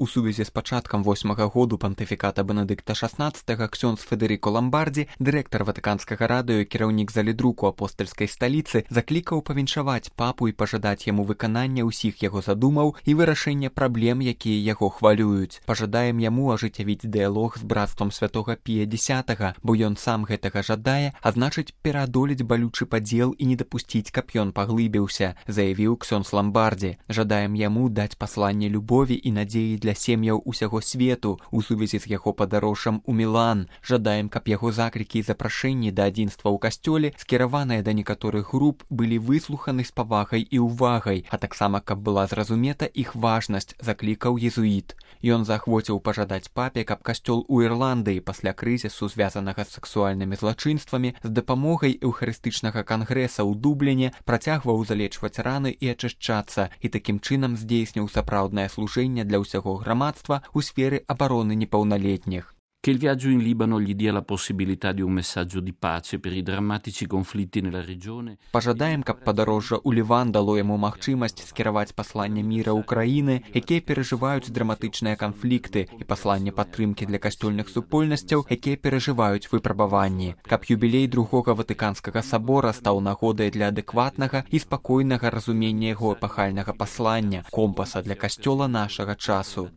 У сувязі з пачаткам 8-га году пантыфіката Бенедыкта XVI ксёндз Федэрыко Ламбардзі, дырэктар Ватыканскага радыё і кіраўнік залідруку апостальскай сталіцы, заклікаў павіншаваць папу і пажадаць яму выканання ўсіх яго задумаў і вырашэння праблем, якія яго хвалююць. Пажадаем яму ажыццявіць дыялог з брацтвам святога Пія X, бо ён сам гэтага жадае, а значыць пераадолець балючы падзел і не дапусціць, каб ён паглыбіўся, заявіў ксёндз Ламбардзі. Жадаем яму даць пасланне любові і надзеі для сем'яў усяго свету у сувязі з яго падарожжам у Мілан. Жадаем, каб яго заклікі і запрашэнні да адзінства ў касцёле, скіраваныя да некаторых груп, былі выслуханы з павагай і ўвагай, а таксама, каб была зразумета іх важнасць, заклікаў езуіт. Ён заахвоціў пажадаць папе, каб касцёл у Ірландыі пасля крызісу, звязанага з сексуальнымі злачынствамі, з дапамогай эўхарыстычнага кангрэса ў Дубліне працягваў залечваць раны і ачышчацца, і такім чынам здзейсніў сапраўднае служэнне для ўсяго грамадства у сферы абароны непаўналетніх. Che il viaggio in Libano gli dia la possibilità di un messaggio di pace per i drammatici conflitti nella regione. Пажадаем, каб падарожжа ў Ліван дало яму магчымасць скіраваць пасланне міра ўкраіны, якія перажываюць драматычныя канфлікты, і пасланне падтрымкі для касцёльных супольнасцяў, якія перажываюць выпрабаванні. Каб юбілей другога Ватыканскага сабора стаў нагодай для адэкватнага і спакойнага разумення яго эпахальнага паслання, компаса для касцёла нашага часу.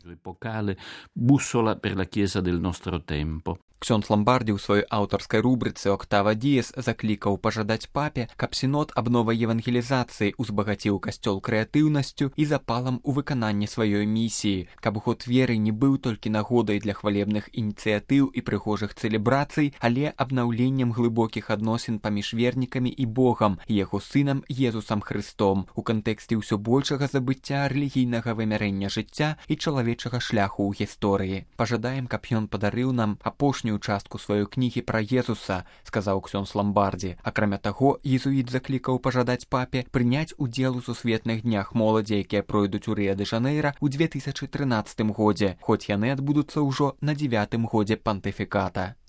Bussola per la Chiesa del nostro tempo. Ксёндз Ламбардзі ў сваёй аўтарскай рубрыцы «Октава Діес» заклікаў пажадаць папе, каб сінод аб новай евангелізацыі узбагаціў касцёл крэатыўнасцю і запалам у выкананні сваёй місіі, каб год веры не быў толькі нагодай для хвалебных ініцыятыў і прыгожых цэлебрацый, але абнаўленнем глыбокіх адносін паміж вернікамі і Богам, і яго сынам Езусам Хрыстом, у кантэксце ўсё большага забыцця рэлігійнага вымярэння жыцця і чалавечага шляху ў гісторыі. Пажадаем, каб ён падарыў нам апошнюю частку сваёй кнігі пра Езуса, сказаў ксёндз Ламбардзі. Акрамя таго, езуіт заклікаў пажадаць папе прыняць удзел у сусветных днях моладзі, якія пройдуць у Рыа-дэ-Жанэйра ў 2013 годзе, хоць яны адбудуцца ўжо на 9-м годзе пантыфіката.